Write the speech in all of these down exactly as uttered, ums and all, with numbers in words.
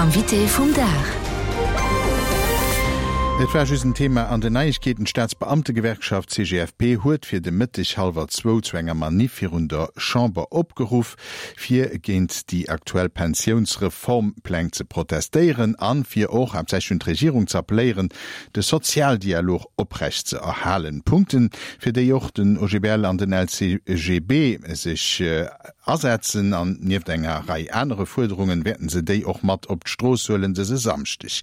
Invité vum Dag. Et war just en Thema an den Neiegkeeten. D'Staatsbeamtegewerkschaft C G F P huet fir de Mëtteg hallwer zwou zu enger Manif virun der Chamber opgeruff, fir géint déi aktuell Pensiounsreformpläng ze protestéieren an fir och haaptsächlech un d'Regierung ze appelléieren, de Sozialdialog oprecht ze erhalen. Punkten, fir déi och den O G B L an den L C G B sech asetzen, an nieft enger Rei anere Fuerderungen wäerten se déi och mat op d'Strooss huelen dëse Samschdeg.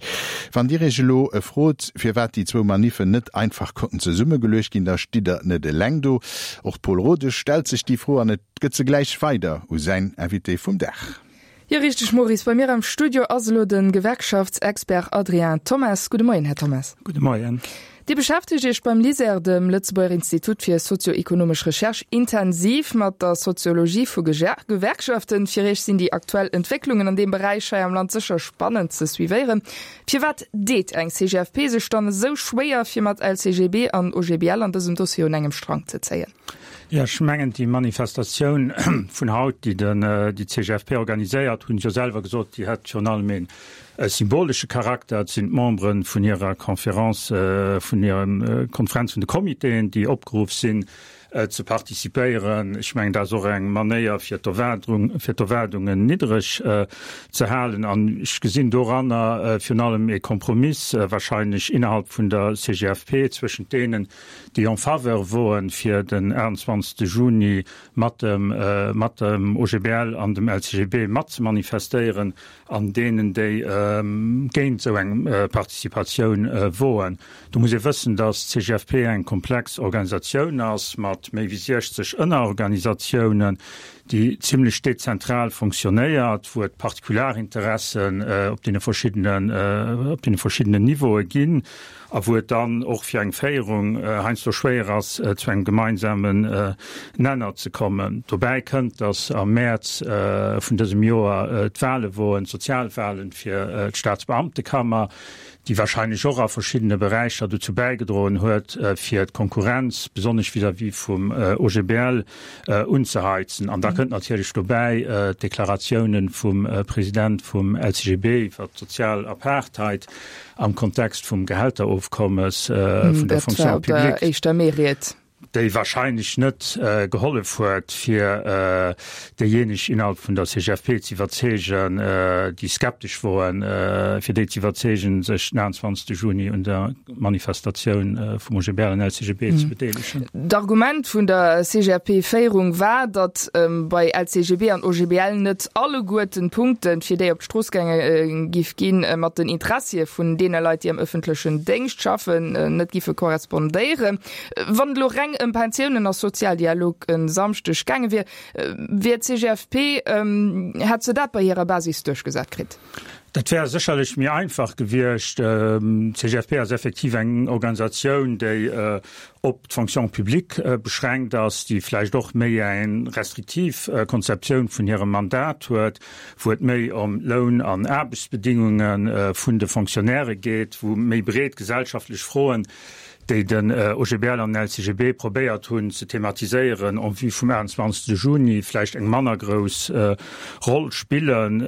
Wann Dir Iech elo frot, firwat déi zwou Maniffen net einfach konnten zesummegeluecht ginn, da stitt Der net eleng do. Och Paul Rodesch stellt sech déi Fro an et gëtt se gläich weider u säin Invité vum Dag. Jo, richteg, Maurice, bei mir am Studio ass elo de Gewerkschaftsexpert Adrien Thomas. Gudde Moien, Här Thomas. Gudde Moien. Dir beschäftegt Iech beim LISER, dem Lëtzebuerger Institut fir sozioekonomesch Recherche, intensiv mat der Soziologie vu Gewerkschaften. Fir Iech sinn déi aktuell Entwécklungen an deem Beräich hei am Land sécher spannend ze suivéieren. Firwat deet eng C G F P sech dann esou schwéier, fir mat L C G B an O G B L an dësem Dossier un engem Strang ze zéien? Jo, ech mengen, déi Manifestatioun vun haut, déi den déi C G F P organiséiert, hunn jo selwer gesot, déi hätt virun allem een symbolesche Charakter. Et sinn d'Membere vun hirer Conférence, vun hirer Konferenz vun de Comitéen, déi opgeruff sinn ze participéieren. Ech mengen, dat ass och eng Manéier fir d'Erwaardung fir d'Erwaardungen niddereg ze halen, an ech gesinn doranner virun allem e Kompromiss wahrscheinlech innerhalb vun der C G F P zwëschent deenen, déi en faveur woen fir den achtuenzwanzegste Juni mat dem mat dem O G B L an dem L C G B mat ze manifestéieren, an deenen, déi géint esou eng Participatioun woen. Do muss ee wëssen, datt d'C G F P eng komplex Organisatioun ass mat méi wéi siechzeg Ënnerorganisatiounen, déi zimlech dezentral fonctionnéiert, wou et Partikularinteressen op deene verschiddenen op deene verschiddenen Niveaue ginn a wou et dann och fir eng Féierung heiansdo schwéier ass, zu engem gemeinsamen Nenner ze kommen. Dobäi kënnt, datt am Mäerz vun dësem Joer d'Wahle woen, d'Sozialwahlen fir d'Staatsbeamtekammer, déi wahrscheinlech och a verschiddene Beräicher dozou bäigedroen huet, fir d'Konkurrenz, besonnesch vis-à-vis vum O G B L, unzeheizen. An da kënnt natierlech dobäi d'Deklaratiounen vum President vum L C G B iwwer d'sozial Apartheid am Kontext vum Gehälterofkommes vun der Fonction publique, éischter Mee-Ried. déi wahrscheinlech net gehollef huet, fir déijéineg innerhalb vun der C G F P ze iwwerzeegen, déi skeptesch woren, fir déi ze iwwerzeegen, sech den achtuenzwanzegste Juni un der Manifestatioun vum O G B L an L C G B ze bedeelegen. D'Argument vun der C G F P-Féierung war, datt bei L C G B an O G B L net alleguerten d'Punkten, fir déi op d'Strooss gaange giff ginn, mat den Interessie vun deene Leit, déi am ëffentlechen Déngscht schaffen, net giffe korrespondéieren. Wann et elo reng ëm Pensiounen a Sozialdialog e Samschdeg gaange wier, wier d'C G F P, hätt se dat bei hirer Basis duerchgesat kritt? Dat wär sécherlech méi einfach gewiescht. D'C G F P ass effektiv eng Organisatioun, déi op d'Fonction publique beschränkt ass, déi vläicht och méi eng restriktiv Konzeptioun vun hirem Mandat huet, wou et méi ëm Loun an Aarbechtsbedingunge vun de Fonctionnairë geet, wou méi breet gesellschaftlech Froen, déi den O G B L an den L C G B probéiert hunn ze thematiséieren en vue vum achtuenzwanzegste Juni, vläicht eng manner grouss Roll spillen.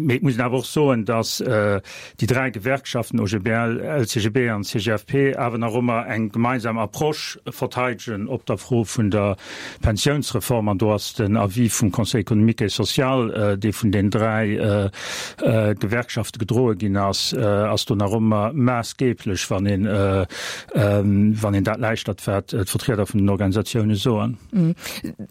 Mee et muss een awer och soen, datt déi dräi Gewerkschaften O G B L, L C G B an C G F P awer nach ëmmer eng gemeinsam Approche verteidegen op der Fro vun der Pensiounsreform. An do ass den Avis vum Conseil économique et social, dee vun den dräi Gewerkschafte gedroe ginn ass, ass do nach ëmmer maassgeeblech, wann een wann een dat lauschtert, wat d'Vertrieder vun den Organisatioune soen.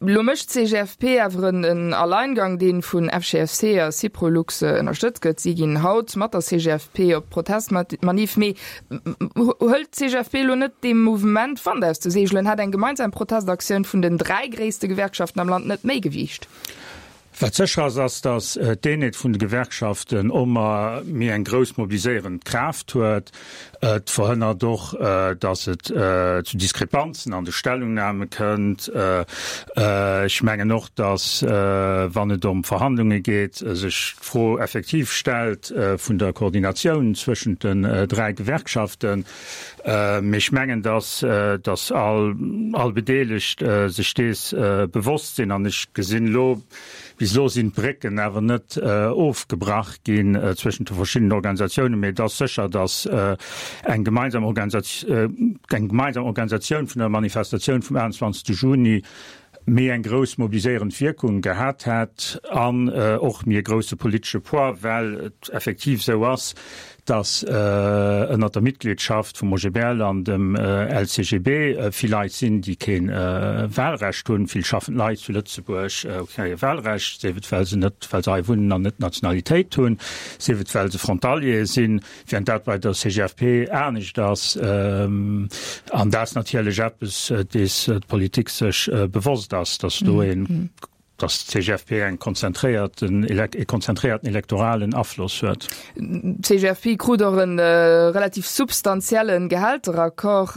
Lo mécht d'C G F P awer en Alleingang, dee vun F G F C a Syprolux ënnerstëtzt gëtt. Si ginn haut mat der C G F P op Protestmanif. Mee hëlt d'C G F P elo net deem Mouvement Wand aus de Seegelen? Hätt eng gemeinsam Protestaktioun vun den dräi gréisste Gewerkschaften am Land net méi Gewiicht? Wat sécher ass, ass, datt d'Eenheet vun de Gewerkschaften ëmmer méi eng grouss mobiliséierend Kraaft huet. Et verhënnert och, datt et zu Diskrepanzen an de Stellungname kënnt. Ech mengen och, datt, wann et ëm Verhandlunge geet, sech d'Fro effektiv stellt vun der Koordinatioun zwëschent den dräi Gewerkschaften. Mee ech mengen, datt datt all all Bedeelegt sech dees bewosst sinn. An ech gesinn elo Bis elo sinn d'Brécken awer net ofgebrach ginn zwëschent de verschiddenen Organisatiounen, mee et ass sécher, datt eng gemeinsam eng gemeinsam Organisatioun vun der Manifestatioun vum aachtundzwanzegste Juni méi eng grouss mobiliséierend Wierkung gehat hätt an och méi e grousse politesche Poids, well et effektiv esou ass, datt ënnert der Mitgliedschaft vum O G B L an dem L C G B vill Leit sinn, déi kee Wahlrecht hunn. Vill schaffend Leit zu Lëtzebuerg hu kee Wahlrecht, sief et well se net, well se hei wunnen an net d'Nationalitéit hunn, sief et well se Frontaliere sinn, während dat bei der C G F P anescht ass. An dat ass natierlech eppes, dees d'Politik sech bewosst ass, datt do een dass d'C G F P eng konzentréierten e konzentréierten elektoralen Afloss huet. D'C G F P krut och e relativ substantiellen Gehälteraccord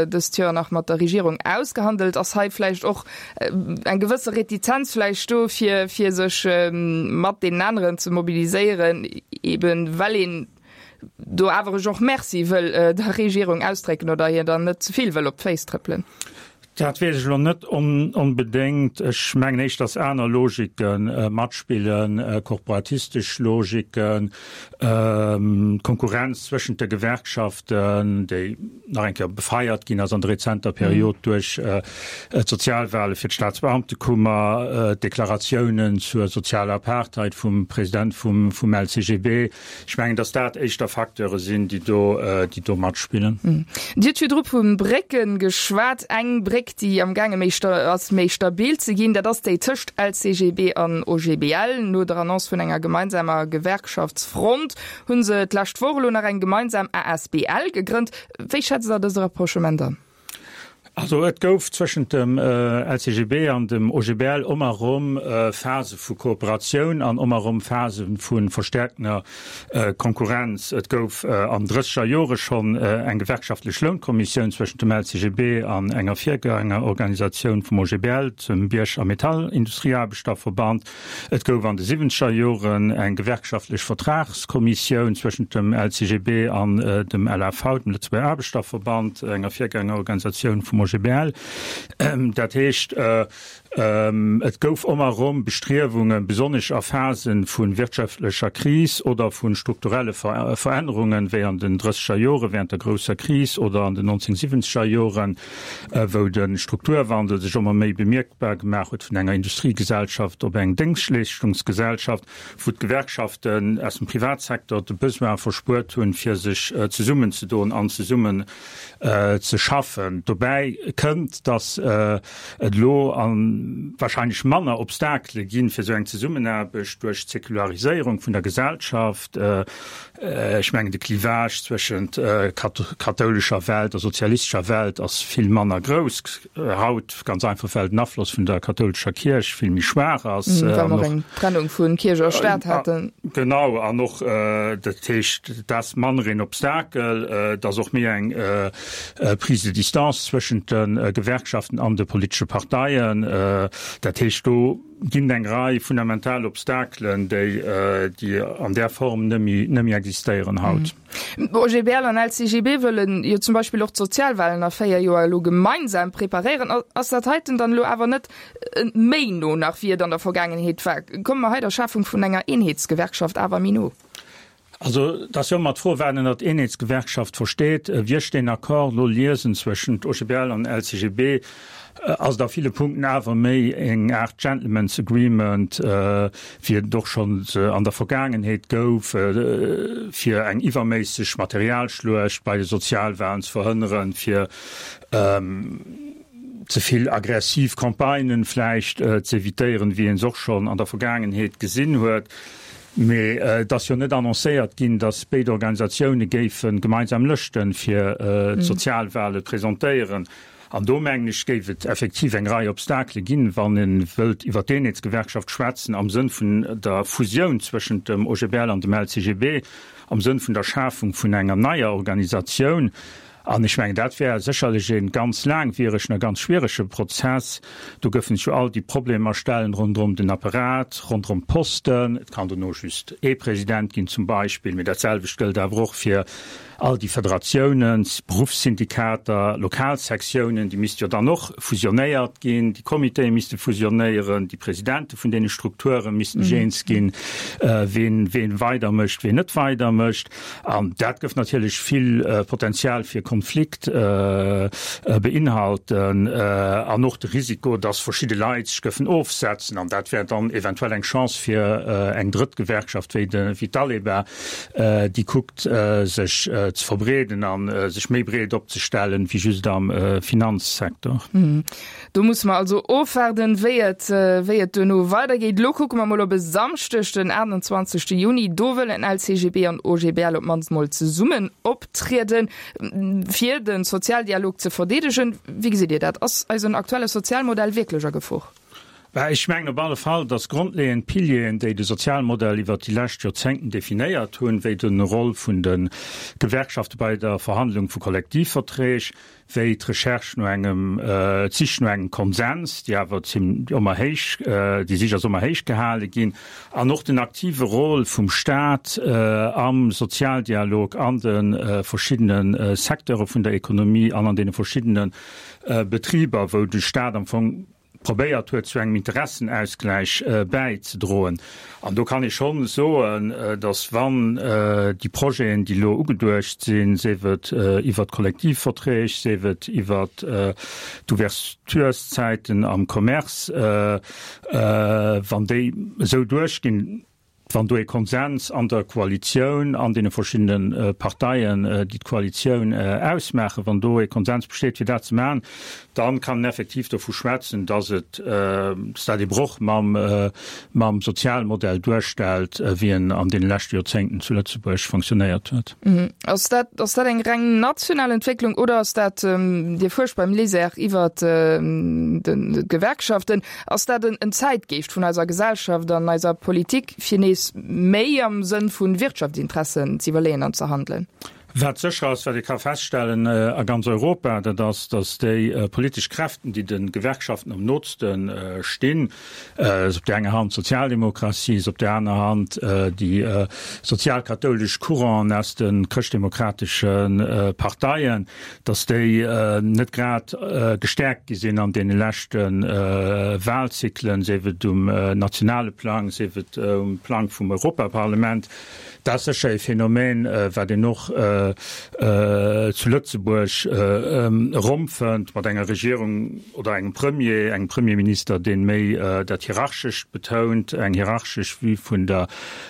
dëst Joer nach mat der Regierung ausgehandelt. Ass hei vläicht och eng gewësse Retizenz vläicht do fir fir sech mat deenen aneren ze mobiliséieren, eben well een do awer och Merci wëll der Regierung ausdrécken oder hir dann net ze vill wëll op d'Féiss trëppelen? Dat weess ech elo net onbedéngt. Ech mengen éischter, dass aner Logike matspillen, korporatistesch Logiken, d'Konkurrenz zwëschent de Gewerkschaften, déi nach eng Kéier befeiert ginn ass an der rezenter Period duerch d'Sozialwale fir d'Staatsbeamtekummer, d'Deklaratiounen zur sozialer Apartheid vum President vum L C G B. Ech mengen, dass dat éischter Facteure sinn, déi do, déi do matspillen. Dir hutt virdru vu Brécken geschwat. Eng Bréck, déi am gaange méi ass méi stabil ze ginn, dat ass déi tëscht L C G B an O G B L. No der Annonce vun enger gemeinsamer Gewerkschaftsfront hu se d'lescht Woch elo nach eng gemeinsam A S B L gegrënnt. Wéi schätzt Der dëse Rapprochement an? Also et gouf zwëschent dem L C G B an dem O G B L ëmmer erëm Phase vu Kooperatioun an ëmmer erëm Phase vu verstäerkter Konkurrenz. Et gouf an drësseger Jore schonn eng gewerkschaftlech Lounkommissioun zwëschent dem L C G B an enger Virgängerorganisatioun vum O G B L, dem Bierg a Metallindustrieaarbechterverband. Et gouf an de siwwenzeger Joren eng gewerkschaftlech Vertragskommissioun zwëschent dem L C G B an dem L A V, dem Lëtzebuerger Aarbechterverband, enger Virgängerorganisatioun vum O G B L. Dat heescht, et gouf ëmmer erëm Bestriewungen, besonnesch a Phase vu wirtschaftlecher Kris oder vu strukturelle Verännerungen, wéi an den drësseger Jore während der grousser Kris oder an den neunzehnhundertsiwwenzeger Joren, wou de Strukturwandel sech ëmmer méi bemierkbar gemaach huet vun enger Industriegesellschaft op eng Déngschtleeschtungsgesellschaft, wou d'Gewerkschaften aus dem Privatsecteur de Besoin verspuert hunn, fir sech zesummenzedoen an zesummen ze schaffen. Dobäi kënnt, datt et elo wahrscheinlech manner Obstakele ginn fir esou eng Zesummenaarbecht duerch d'Säkulariséierung vun der Gesellschaft. Ech mengen, de Clivage zwëschent kathoulescher Welt a sozialistescher Welt ass vill manner grouss haut, ganz einfach well den Afloss vun der kathoulescher Kierch vill méi schwaach ass. Well mer och eng Trennung vu Kierch a Staat haten. Genau, an och dat heescht, et ass manner een Obstakel, et ass och méi eng Prise de distance zwëschent de Gewerkschaften an de politesche Parteien. Dat heescht, do ginn et eng Rei fundamental Obstakelen, déi déi an där Form net méi net méi existéieren haut. O G B L an L C G B wëllen jo zum Beispill och d'Sozialwahlen a véier Joer elo gemeinsam preparéieren. Ass dat heiten dann elo awer net méi no nach wéi et an der Vergaangenheet war? Komme mer hei der Schafung vun enger Eenheetsgewerkschaft awer méi no? Also, et ass jo ëmmer d'Fro, wat een ënnert Eenheetsgewerkschaft versteet. Wéi ech deen Accord elo liesen zwëschent O G B L an L C G B, ass et a ville Punkten awer méi eng Aart Gentlemen's Agreement, wéi et och schonns an der Vergaangenheet gouf, fir eng iwwerméisseg Materialschluecht bei de Sozialwahlen ze verhënneren, fir ze vill aggressiv Campagnen vläicht z'evitéieren, wéi een se och schonn an der Vergaangenheet gesinn huet. Mee et ass jo net annoncéiert ginn, datt béid Organisatioune géife gemeinsam Lëschte fir d'Sozialwale presentéieren. An do, mengen ech, géif et effektiv eng Rei Obstakele ginn, wann ee wëllt iwwer d'Eenheetsgewerkschaft schwätzen am Sënn vun der Fusioun zwëschent dem O G B L an dem L C G B, am Sënn vun der Schafung vun enger neier Organisatioun. An ech mengen, dat wär sécherlech e ganz laangwieregen a ganz schwierege Prozess. Do gëffen sech jo all déi Problemer stellen ronderëm den Apparat, ronderëm d'Posten. Et kann dono just ee President ginn zum Beispill, mee dat selwecht gëllt awer och fir all déi Federatiounen, Beruffssyndikater, Lokalsektiounen, déi misste jo dann och fusionéiert ginn, déi Comitéë misste fusionéieren, déi Presidente vun deene Strukture missten sech eens ginn, ween ween weidermécht, ween net weidermécht. An dat gëff natierlech vill Potenzial fir Konflikt beinhalten an och de Risiko, dass verschidde Leit sech gëffen ofsetzen. An dat wär dann eventuell eng Chance fir eng drëtt Gewerkschaft wéi d'Aleba, déi kuckt, sech ze verbreeden a sech méi breet opzestellen wéi just am Finanzsecteur. Do musse mer also ofwaarden, wéi et wéi et duerno weidergeet. Elo kucke mer mol op e Samschdeg, den aachtanzwanzegste Juni. Do wëllen L C G B an O G B L op d'mannst mol zesummen optrieden, fir de Sozialdialog ze verdeedegen. Wéi gesitt Dir dat? Ass eisen aktuelle Sozialmodell wierklech a Gefor? Bah, ech mengen op alle Fall, dass grondleeënd Pilieren, déi de Sozialmodell iwwert déi lescht Joerzéngten definéiert hunn, wéi de Roll vun de Gewerkschafte bei der Verhandlung vu Kollektivverträg, wéi d'Recherche no engem, d'Sich no engem Konsens, déi awer ëmmer héich, déi Sich ass ëmmer héich gehale ginn, an och den aktive Rôle vum Staat am Sozialdialog an de verschiddene Secteure vun der Ekonomie an an deene verschiddene Betriber, wou de Staat am Fong probéiert huet, zu engem Interessenausgläich bäizedroen. An do kann ee schonn soen, datt wann déi Projeten, déi elo ugeduecht sinn, sief et iwwert d'Kollektivverträg, sief et iwwert d'Ouvertureszäiten am Commerce, wann déi esou duerchginn, wann do ee Konsens an der Koalitioun, an deene verschiddene Parteien, déi d'Koalitioun ausmaachen, wann do ee Konsens besteet, fir dat ze maachen, da kann een effektiv dovu schwätzen, dass et, dass dat ee Broch mam, mam Sozialmodell duerstellt, wéi en an deene leschte Joerzéngten zu Lëtzebuerg fonctionnéiert huet. Ass dat, ass dat eng reng national Entwécklung oder ass dat, Dir fuerscht beim LISER iwwert d'Gewerkschaften, ass dat en Zäitgeescht vun eiser Gesellschaft an eiser Politik, fir nees méi am Sënn vu Wirtschaftsinteressen z'iwwerleeën an ze handelen? Wat sécher ass, wat ee ka feststellen a ganz Europa, dat ass, datt déi politesch Kräften, déi de Gewerkschaften am nootste stinn, ass op där enger Hand d'Sozialdemokratie, ass op där aner Hand déi sozialkathoulesch Couranten aus de chrëschtdemokratesche Parteien, datt déi net grad gestäerkt gi sinn an deene leschte Wahlzyklen, sief et um nationale Plang, sief et um Plang vum Europaparlament. Dat ass sécher e Phänomen, wat een och zu Lëtzebuerg erëmfënnt, mat enger Regierung oder engem Premier, engem Premierminister, dee méi dat Hierarchescht betount, eng hierarchesch Vue vun der,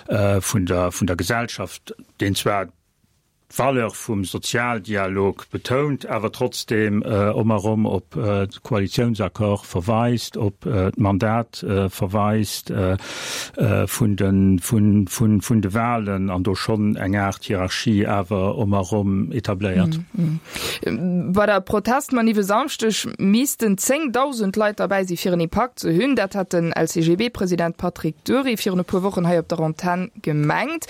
vun der, vun der Gesellschaft, deen zwar d'Valeur vum Sozialdialog betount, awer trotzdeem ëmmer erëm op de Koalitiounsaccord verweist, op d'Mandat verweist vun de, vun, vun de Wahlen an do schonn eng Aart Hierarchie awer ëmmer erëm etabléiert. Bei der Protestmanif e Samschdeg missten zéngdausend Leit derbäi si fir en Impakt ze hunn. Dat hat den L C G B-President Patrick Dury virun e puer Wochen hei op der Antenn gemengt.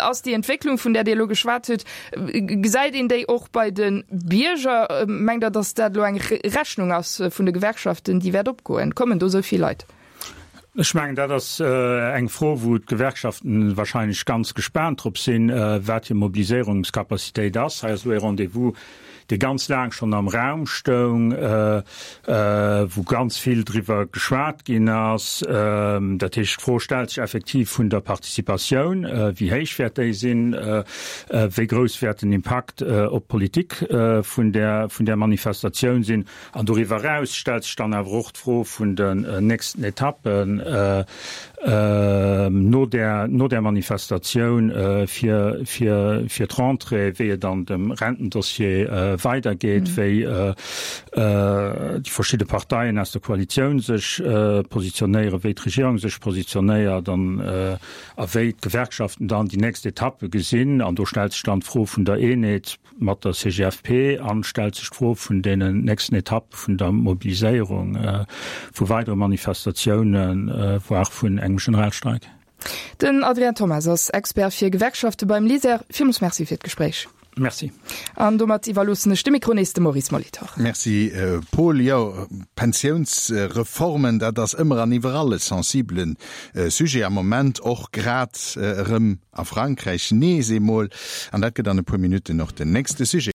Ass déi Entwécklung, vun där Dir elo geschwat hutt, gesäit een déi och bei de Bierger? Mengt Der, datt dat elo eng Rechnung ass vun de Gewerkschaften, déi wäert opgoen? Kommen do esou vill Leit? Ech mengen, dat ass eng Fro, wou d'Gewerkschaften wahrscheinlech ganz gespaant drop sinn, wat hir Mobiliséierungscapacitéit ass. Hei ass elo e Rendez-vous, dee ganz laang schonn am Raum stoung, wou ganz vill driwwer geschwat ginn ass. Dat heescht, d'Fro stellt sech effektiv vun der Participatioun, Wéi héich wäert déi sinn? Wéi grouss wäert den Impakt op d'Politik vun där, vun där Manifestatioun sinn? An doriwwer eraus stellt sech dann awer och d'Fro vun den nächsten Etappen no där, no där Manifestatioun fir, fir, fir d'Rentrée, wéi et an dem Rentendossier weidergeet, wéi déi verschidde Parteien aus der Koalitioun sech positionéieren, wéi d'Regierung sech positionéiert an a wéi d'Gewerkschaften dann déi nächst Etappe gesinn. An do stellt sech dann d'Fro vun der Eenheet mat der C G F P an stellt sech d'Fro vun deenen nächsten Etappe vun der Mobiliséierung, vu weidere Manifestatiounen, voire vun engem Generalstreik. Den Adrien Thomas ass Expert fir Gewerkschafte beim LISER. Villmools Merci fir d'Gespréich. Merci. An domat iwwerloossen ech de Mikro nees dem Maurice Molitor. Merci Paul. Jo, Pensiounsreformen, dat ass ëmmer an iwwerall e sensibele Sujet am Moment, och grad erëm a Frankräich nees eemol. An dat gëtt an e puer Minutten och den nächste Sujet.